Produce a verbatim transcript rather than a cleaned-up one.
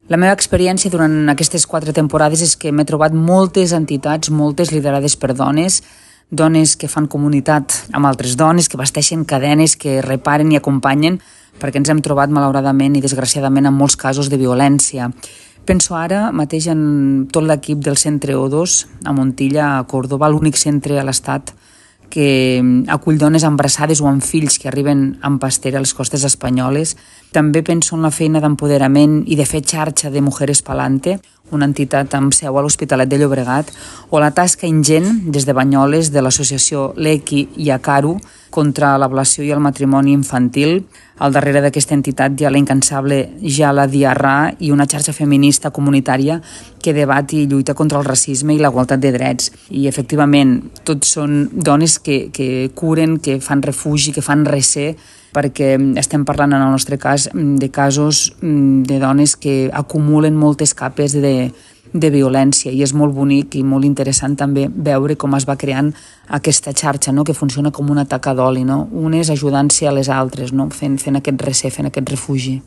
La meva experiència durant aquestes quatre temporades és que m'he trobat moltes entitats, moltes liderades per dones, dones que fan comunitat amb altres dones, que basteixen cadenes, que reparen i acompanyen, perquè ens hem trobat malauradament i desgraciadament en molts casos de violència. Penso ara mateix en tot l'equip del centre O dos a Montilla, a Còrdova, l'únic centre a l'Estat que acull dones embarassades o amb fills que arriben amb pastera a les costes espanyoles. També penso en la feina d'empoderament i de fer xarxa de Mujeres Palante, una entitat amb seu a l'Hospitalet de Llobregat, o la tasca ingent des de Banyoles de l'associació L'Equi i Acaru contra l'ablació i el matrimoni infantil. Al darrere d'aquesta entitat hi ha la incansable Jala Diarra i una xarxa feminista comunitària que debat i lluita contra el racisme i la igualtat de drets. I efectivament, tots són dones que, que curen, que fan refugi, que fan recer, perquè estem parlant en el nostre cas de casos de dones que acumulen moltes capes de, de violència, i és molt bonic i molt interessant també veure com es va creant aquesta xarxa, no? Que funciona com una taca d'oli, no? Unes ajudant-se a les altres, no? fent, fent aquest recer, fent aquest refugi.